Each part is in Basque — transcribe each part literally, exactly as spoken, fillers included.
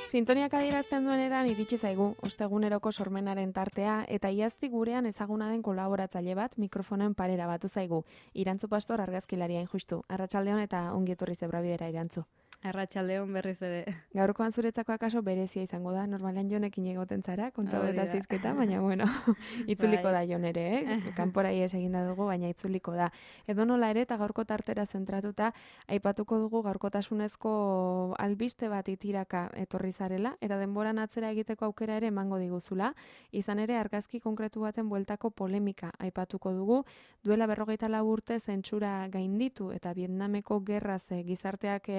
Sintoniak adierazten duen eran iritsi zaigu, osteguneroko sormenaren tartea, eta iazti gurean ezaguna den kolaboratzaile bat mikrofonoen parera batu zaigu. Irantzu Pastor argazkilariain justu. Arratsaldeon eta ongi etorri Zebrabidera Irantzu. Arratsaldeon berriz ere. Gaurkoan zuretzako akaso berezia izango da, normalean Jonekin egoten zara, konta eta zizketa, baina bueno, itzuliko da Jon ere, eh? Kanpora ies eginda dugu, baina itzuliko da. Edo nola ere, eta gaurko tartera zentratuta, aipatuko dugu gaurkotasunezko albiste bat itiraka etorri zarela, eta denboran atzera egiteko aukera ere emango diguzula, izan ere argazki konkretu baten bueltako polemika aipatuko dugu, duela berrogeita lau urte zentsura gainditu, eta Vietnameko gerraz gizarteak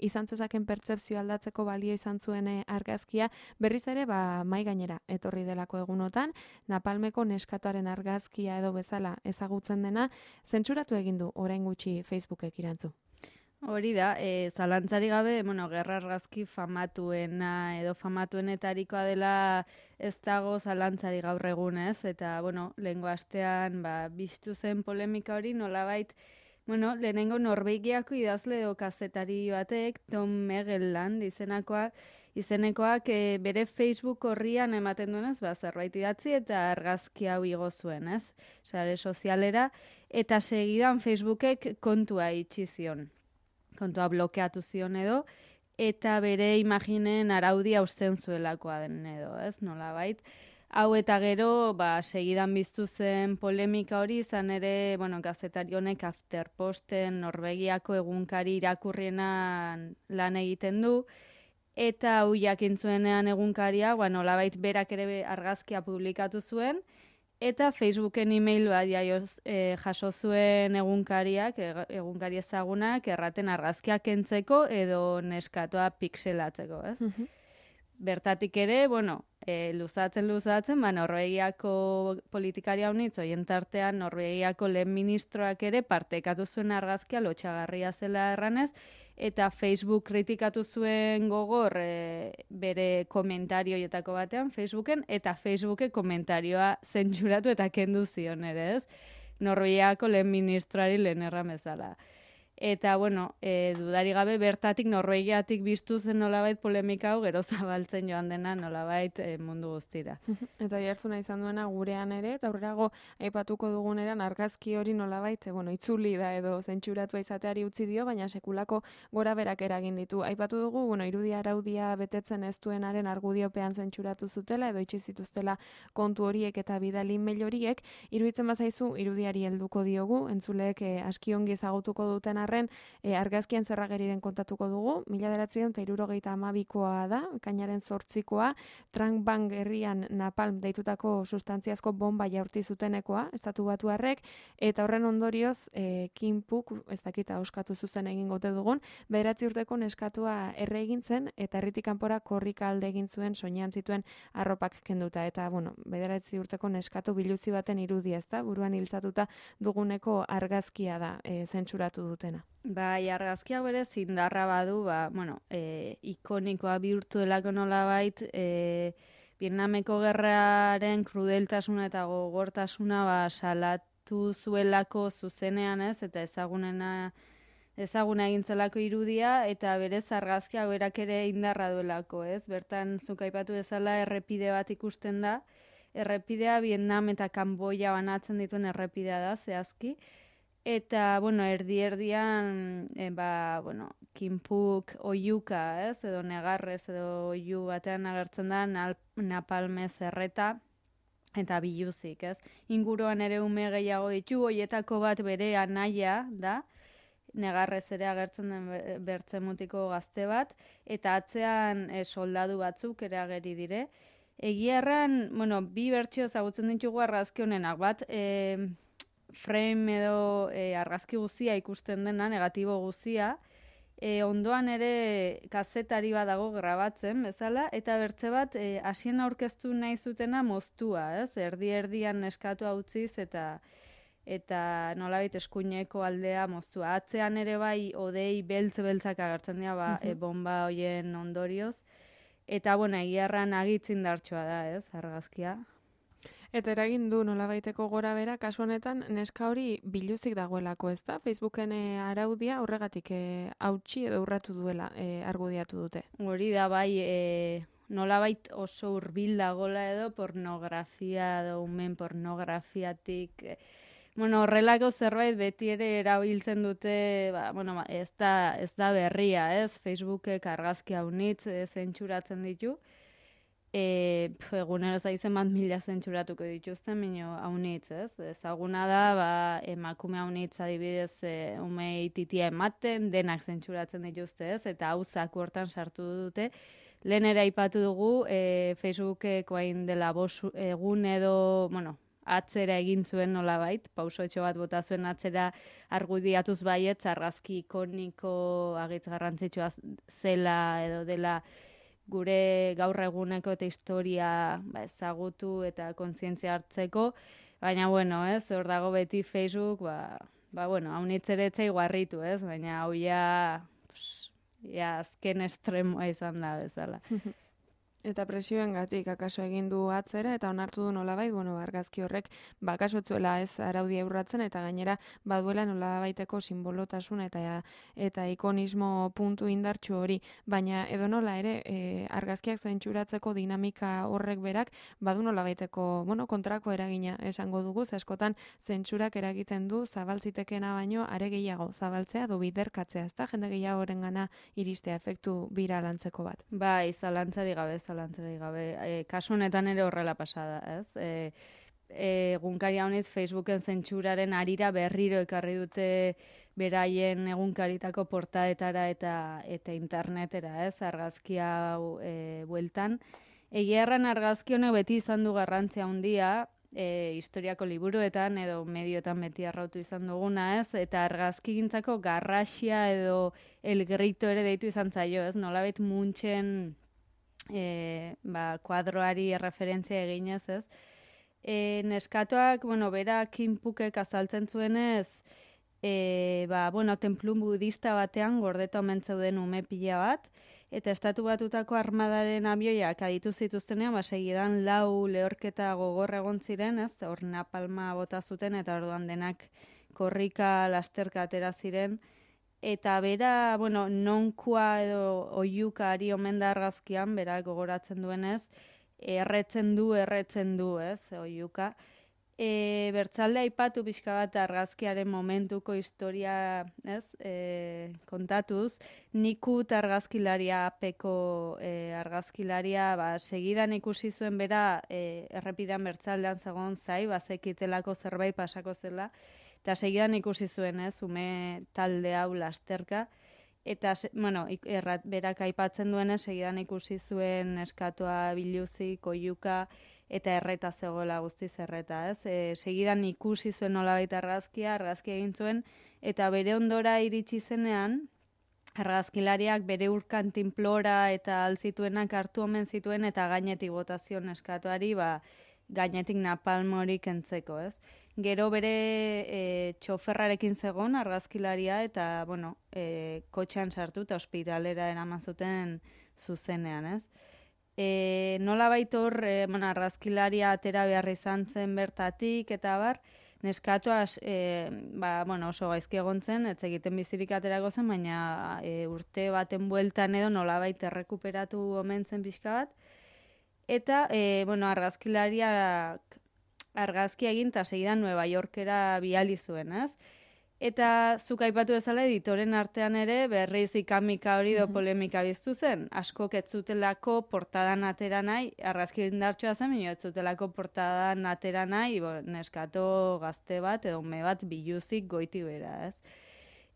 izan zezaken pertzepzio aldatzeko balio izan zuen argazkia, berriz ere ba mai gainera etorri delako egunotan, Napalmeko neskatoaren argazkia edo bezala ezagutzen dena, zentsuratu egin du orain gutxi Facebookek Irantzu. Hori da, e, zalantzari gabe, bueno, gerra argazki famatuena edo famatuenetarikoa dela ez dago zalantzari gaur egunez, eta bueno, lehengo astean ba, biztu zen polemika hori nolabait. Bueno, lehenengo Norvegiako idazle edo kazetari batek, Tom Megelland izenakoa, izenekoak e, bere Facebook horrian ematen duenez, ba, zerbait idatzi eta argazki hau igo zuen, ez? Sare sozialera, eta segidan Facebookek kontua itxi zion. Kontua blokeatu zion edo, eta bere imaginen araudia uzten zuelakoa den edo, ez? Nolabait. Hau eta gero, ba, segidan biztu zen polemika hori, izan ere, bueno, gazetari honek Afterposten Norvegiako egunkari irakurrienan lan egiten du, eta hau jakin zuenean egunkaria, ba, nolabait berak ere argazkia publikatu zuen, eta Facebooken e-mail bat jaioz, e, jaso zuen egunkariak, egunkari ezagunak, erraten argazkiak kentzeko edo neskatoa pixelatzeko, ez? Uh-huh. Bertatik ere, bueno, e, luzatzen luzatzen, ba, Norvegiako politikaria honitz, oien tartean Norvegiako lehen ministroak ere partekatu zuen argazkia lotxagarria zela erranez, eta Facebook kritikatu zuen gogor e, bere komentarioietako batean Facebooken, eta Facebooke komentarioa zentzuratu eta kendu zion ere, ez? Norvegiako lehen ministroari lehen erran bezala. Eta, bueno, e, dudari gabe bertatik Norvegiatik biztu zen nolabait polemika hau, gero zabaltzen joan dena nolabait e, mundu guztira. Eta jartzuna izan duena gurean ere, eta aurrerago aipatuko duguneran argazki hori nolabait, e, bueno, itzuli da edo zentsuratua izateari utzi dio, baina sekulako gora berak eragin ditu. Aipatu dugu, bueno, irudia araudia betetzen ez duenaren argudiopean zentzuratu zutela, edo itxi zituztela kontu horiek eta bidali mail horiek, iruditzen bazaizu irudiari helduko diogu, entzuleek e, aski ongi ezagutuko duten arren, e, argazkian zerrageri den kontatuko dugu, mila bederatziehun eta hirurogeita hamabikoa da, kainaren zortzikoa, Trang Bang herrian Napalm deitutako sustantziazko bomba jaurti zutenekoa, estatu batuarrek, eta horren ondorioz, e, Kim Puk, ez dakita oskatu zuzen egin gote dugun, bederatzi urteko neskatua erre egin zen, eta herritik kanpora korrika alde egin zuen soinean zituen arropak kenduta, eta, bueno, bederatzi urteko neskatu biluzi baten irudia, ezta, buruan hiltzatuta duguneko argazkia da, e, zentsuratu dutena. Bai, argazkia bere zindarra badu, ba, bueno, e, ikonikoa bihurtu delako nolabait, e, Vietnameko gerraren krudeltasuna eta gogortasuna ba, salatu zuelako zuzenean, ez, eta ezagunena ezaguna egintzelako irudia, eta berez argazkia berak ere indarra duelako, ez? Bertan zuk aipatu bezala errepide bat ikusten da, errepidea Vietnam eta Kanboia banatzen dituen errepidea da, zehazki, eta, bueno, erdi-erdian, e, ba, bueno, Kim Puk oiuka, ez, edo negarrez, edo oiu batean agertzen da, napalmez erreta, eta biluzik, ez. Inguruan ere ume gehiago ditu, hoietako bat bere anaia da, negarrez ere agertzen den bertze mutiko gazte bat, eta atzean e, soldadu batzuk ere ageri dire. Egia erran, bueno, bi bertsio ezagutzen ditugu argazki honenak, bat, e, frame edo e, argazki guzia ikusten dena, negatibo guzia, e, ondoan ere kazetari bat dago grabatzen, bezala, eta bertze bat e, hasien aurkeztu nahi zutena moztua, ez? Erdi-erdian neskatua utziz eta eta nolabait eskuineko aldea moztua. Atzean ere bai odei beltz-beltzak agertzen dira, ba, e, bomba hoien ondorioz. Eta, bueno, egiarran agitzindartsua da, ez, argazkia. Eta eragin du nolabaiteko gora bera, kasu honetan neska hori biluzik dagoelako, ez da? Facebooken e, araudia horregatik e, hautsi edo urratu duela e, argudiatu dute. Hori da bai, e, nolabait oso hurbil dagola edo pornografia edo umen pornografiatik, e, bueno, horrelako zerbait beti ere erabiltzen dute, ba, bueno, ez da, ez da berria, ez? Facebookek argazki haunitz e, zentsuratzen ditu. E, pf, egunero zaizen bat mila zentsuratuko dituzten, mino haunitz, ez? Ezaguna da, ba, emakume haunitz adibidez e, umei titia ematen, denak zentsuratzen dituzte, ez? Eta hau zaku hortan sartu dute. Lehen ere aipatu dugu, e, Facebookek hain dela bos egun edo, bueno, atzera egin zuen nolabait, pausotxo bat bota zuen atzera argudiatuz baietz, argazki ikoniko agitz garrantzitsua zela edo dela gure gaur eguneko eta historia ba, ezagutu eta kontzientzia hartzeko, baina bueno, ez, hor dago beti Facebook, ba, ba bueno, haunitzeretzei guarritu, ez, baina hau ja, pues, ja azken estremoa izan da bezala. Eta presioengatik akaso egin du atzera eta onartu du nolabait, bueno, argazki horrek bakasotzuela ez araudia urratzen eta gainera baduela nolabaiteko simbolotasun eta eta ikonismo puntu indartsu hori, baina edonola ere e, argazkiak zentsuratzeko dinamika horrek berak badu nolabaiteko, bueno, kontrako eragina esango dugu, ze askotan zentsurak eragiten du zabaltzitekeena baino are gehiago zabaltzea edo biderkatzea, ezta? Jende gehiagorengana iristea efektu biralantzeko bat. Bai, zalantzari gabe, zalantzari gabe. E, kasu honetan ere horrela pasada, ez? E, egunkari haunitz Facebooken zentsuraren arira berriro ekarri dute beraien egunkaritako portaetara eta eta internetera, ez? Argazki hau e, bueltan. Egia erran argazki honek beti izan du garrantzia handia, E, historiako liburuetan edo medioetan beti arrautu izan duguna, ez? Eta argazkigintzako garrasia edo el grito ere deitu izan zaio, ez? Nolabait Munchen e, ba, kuadroari erreferentzia eginez, ez? E, neskatoak, bueno, bera Kinpukek azaltzen zuenez, e, ba, bueno, tenplu budista batean gordeta omen zeuden ume pila bat, eta estatu batutako armadaren abioiak aditu zituztenean, ba, segidan lau lehorketa gogor egon ziren, ez? Hor napalma bota zuten, eta orduan denak korrika lasterka atera ziren. Eta bera, bueno, nonkua edo oiuka ari omen da argazkian, bera gogoratzen duenez, erretzen du, erretzen du, ez? Oiuka. E, bertzalde aipatu pixka bat argazkiaren momentuko historia, ez, e, kontatuz, Nikut argazkilaria, apeko e, argazkilaria, ba, segidan ikusi zuen bera e, errepidean bertzaldean zegoen zai, bazekitelako zerbait pasako zela, eta segidan ikusi zuen, ez, ume talde hau lasterka, eta, bueno, errat, berak aipatzen duenez, segidan ikusi zuen eskatua biluzik, oiuka, eta erreta zegoela guztiz erreta, ez? E, segidan ikusi zuen nolabait argazkia, argazkia egin zuen, eta bere ondora iritsi zenean, argazkilariak bere urkan tinplora eta altzituenak hartu omen zituen, eta gainetik botazion eskatuari, ba, gainetik napalmorik entzeko, ez? Gero bere e, txoferrarekin zegon argazkilaria, eta, bueno, e, kotxean sartu eta ospitalera eraman zuten zuzenean, ez? E, nola baitor, e, bueno, argazkilaria atera behar izan zen bertatik, eta bar, neskatoa e, ba, bueno, oso gaizki egon zen, ez egiten bizirik aterako zen, baina e, urte baten bueltan edo nola baita errekuperatu omen zen pixka bat. Eta, e, bueno, argazkilariak argazki egin eta segidan Nueva Yorkera bidali zuen, ez? Eta zuk aipatu bezala editoren artean ere berriz ikamika hori do polemika biztu zen. Askok ez zutelako portadan atera nahi, argazki indartsua zen, baina ez zutelako portadan atera nahi, bo, neskato gazte bat edo ume bat biluzik goiti bera, ez?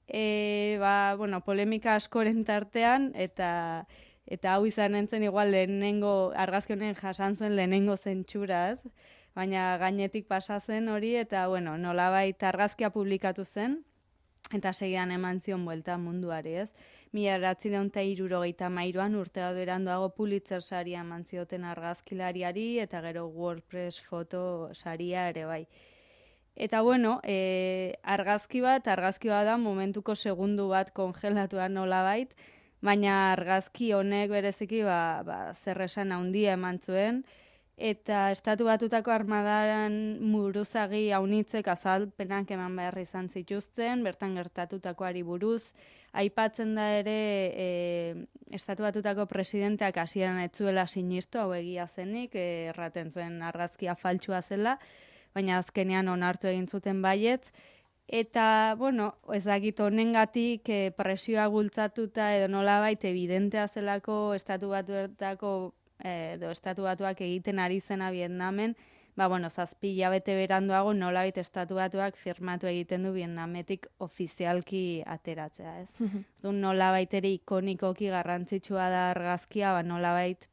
E, ba, bueno, polemika askoren tartean, eta eta hau izan entzen igual lehenengo, argazki honen jasan zuen lehenengo zentsura, ez? Baina gainetik pasa zen hori, eta, bueno, nolabait argazkia publikatu zen, eta segidan eman zion buelta munduari, ez? Mila bederatziehun eta hirurogeita hamairuan urte bat beranduago Pulitzer saria eman zioten argazkilariari, eta gero WordPress foto saria ere bai. Eta, bueno, e, argazki bat, argazki bat da momentuko segundu bat kongelatua nolabait, baina argazki honek bereziki ba, ba, zer esan handia eman zuen, eta Estatu Batutako armadaren buruzagi haunitzek azalpenak eman behar izan zituzten, bertan gertatutakoari buruz. Aipatzen da ere e, Estatu Batutako presidenteak hasieran ez zuela sinistu, hau egia zenik, e, erraten zuen argazkia faltsua zela, baina azkenean onartu egin zuten baietz. Eta, bueno, ezagit honengatik e, presioa bultzatuta edo nolabait evidentea zelako Estatu Batuetako edo Estatu Batuak egiten ari zena Vietnamen, ba, bueno, zazpi hilabete beranduago nolabait Estatu Batuak firmatu egiten du Vietnametik ofizialki ateratzea, ez? Du nolabait ere ikonikoki garrantzitsua da argazkia, ba, nolabait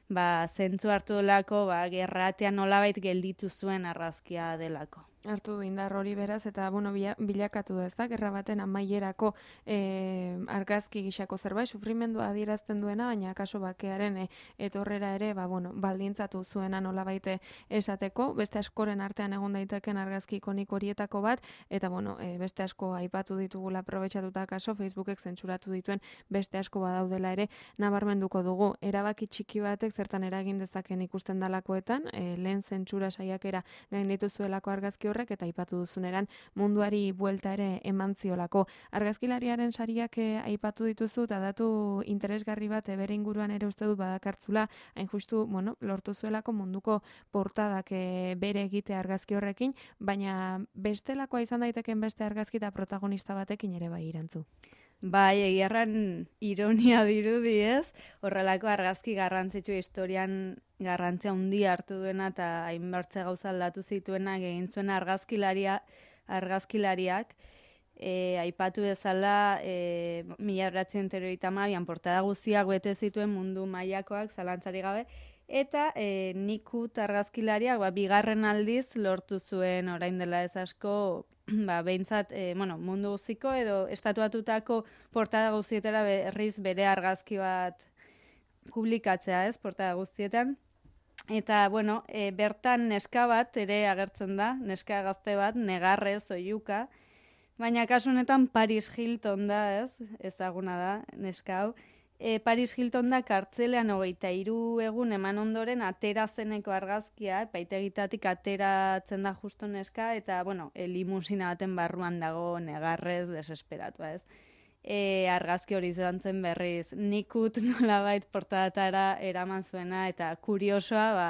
ba, zentzu hartu delako, ba, gerratean nolabait gelditu zuen argazkia delako. Hartu du indar hori beraz, eta bueno, bilakatu da, ez da, gerra baten amaierako e, argazki gixako zerbait, sufrimendua adierazten duena, baina kaso bakearen e, etorrera ere, ba, bueno, baldintzatu zuena nolabaite esateko, beste askoren artean egon daiteken argazki ikonik horietako bat, eta bueno, e, beste asko aipatu ditugula aprobetxatuta kaso, Facebookek zentsuratu dituen beste asko badaudela ere, nabarmenduko dugu, erabaki txiki batek zertan eragin dezaken ikusten dalakoetan, e, lehen zentsura saiakera gainditu zuelako argazki horrek eta aipatu duzuneran munduari buelta ere eman ziolako. Argazkilariaren sariak eh, aipatu dituzu eta datu interesgarri bat bere inguruan ere uste dut badakartzula, hain justu, bueno, lortu zuelako munduko portadak eh, bere egite argazki horrekin, baina bestelakoa izan daiteken beste argazki eta protagonista batekin ere bai irantzu. Bai, egiarran ironia dirudi ez, horrelako argazki garrantzitsu historian garrantzia handia hartu duena eta hainbertze gauza aldatu zituena egin zuen argazkilaria, argazkilariak, e, aipatu bezala e, mila bederatziehun eta hirurogeita hamabian portada guztiak bete zituen mundu mailakoak zalantzari gabe, eta e, Nikut argazkilariak ba, bigarren aldiz lortu zuen orain dela ez asko, ba, behintzat, e, bueno, mundu guztiko edo estatuatutako portada guztietara berriz bere argazki bat publikatzea, ez, portada guztietan. Eta, bueno, e, bertan neska bat ere agertzen da, neska gazte bat, negarrez, oiuka, baina kasu honetan Paris Hilton da, ez, ezaguna da, neska hau. E, Paris Hilton da kartzelean hogeita hiru egun eman ondoren atera zeneko argazkia, epaitegitatik ateratzen da justo neska, eta, bueno, e, limusina baten barruan dago negarrez desesperatua, ez. E, argazki hori izan zen berriz Nikut nolabait portadatara eraman zuena, eta kuriosoa, ba,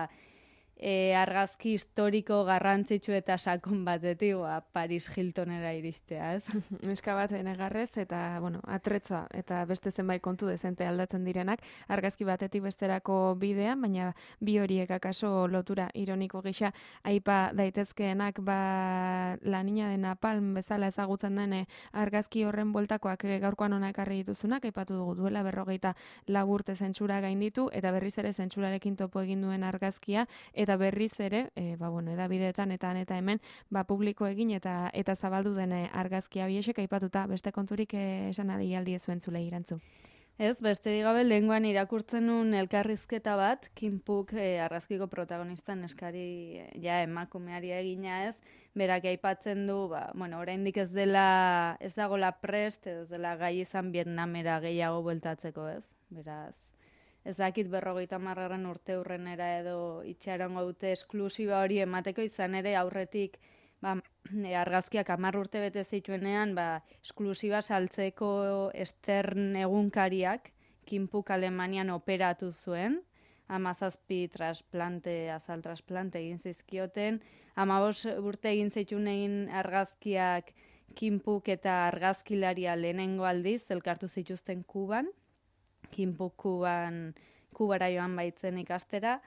e, argazki historiko garrantzitsu eta sakon batetik, ba, Paris Hiltonera iristea, ez? Neska bat negarrez eta, bueno, atretza eta beste zenbait kontu dezente aldatzen direnak, argazki batetik besterako bidean, baina bi horiek akaso lotura ironiko gisa aipa daitezkeenak, ba, La Niña de Napalm bezala ezagutzen den argazki horren bueltakoak gaurkoan hona ekarri dituzunak, aipatu dugu duela berrogeita lau urte zentsura gainditu, eta berriz ere zentsurarekin topo egin duen argazkia, eta berriz ere, e, ba, bueno, edabideetan eta eta hemen, ba, publiko egin eta eta zabaldu den argazkia biesek aipatuta, beste konturik e, esan adialdi zuen zule irantzu. Ez, besterik gabe lehengoan irakurtzen nun elkarrizketa bat, Kim Puk e, argazkiko protagonistan eskari e, ja emakumeari egina ez, berak aipatzen du, ba, bueno, oraindik ez dela, ez dagola prest, ez dela gai izan Vietnamera gehiago bueltatzeko ez, beraz. Ez dakit berrogeita hamargarren urte hurrenera edo itxarongo dute esklusiba hori emateko, izan ere aurretik ba, argazkiak hamar urte bete zituenean, ba, esklusiba saltzeko Stern egunkariak Kim Puk Alemanian operatu zuen, hamazazpi trasplante, azal trasplante egin zizkioten, hamabost urte egin zituen egin argazkiak Kim Puk eta argazkilaria lehenengo aldiz elkartu zituzten Kuban, Kim Puk Kuban, Kubara joan baitzen ikastera,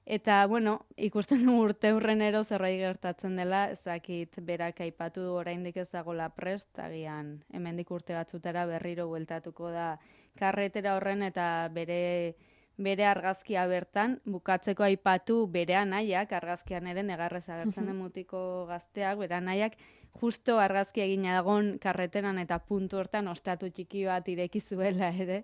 eta, bueno, ikusten du urte hurrenero zerbait gertatzen dela, ezakit berak aipatu du oraindik ez dagoela prest, agian hemendik urte batzutara berriro bueltatuko da karretera horren eta bere bere argazkia bertan, bukatzeko aipatu bere anaiak, argazkian ere negarrez agertzen den mutiko gazteak, bere anaiak, justo argazki egina dagoen karreteran eta puntu hortan ostatu txiki bat ireki zuela ere.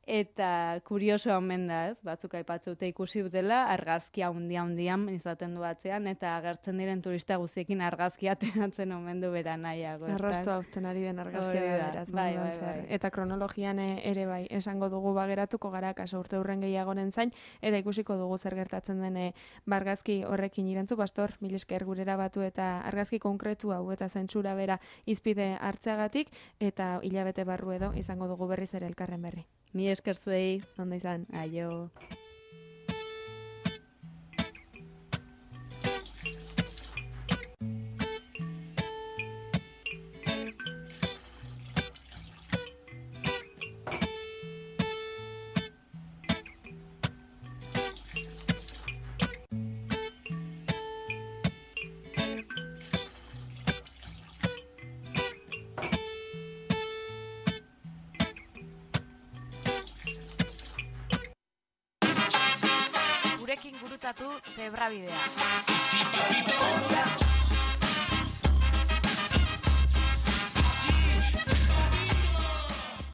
Eta kuriosoa omen da, ez? Batzuk aipatzute ikusi dutela, argazkia handia-handian izaten du atzean, eta agertzen diren turista guztiekin argazkia ateratzen omen du bera nahiago. Arrasto hauzten ari den argazkia da, beraz. Bai, bai, bai. Eta kronologian ere bai, esango dugu bageratuko gara, kaso urte hurren gehiagoren zain, eta ikusiko dugu zer gertatzen den bargazki horrekin irentzu, Pastor, mil esker gurera batu eta argazki konkretu hau eta zentsura bera izpide hartzeagatik, eta hilabete barru edo izango dugu berriz ere elkarren berri. Mi esker zuei. Ondo izan. Aio. Gurekin gurutzatu Zebrabidea.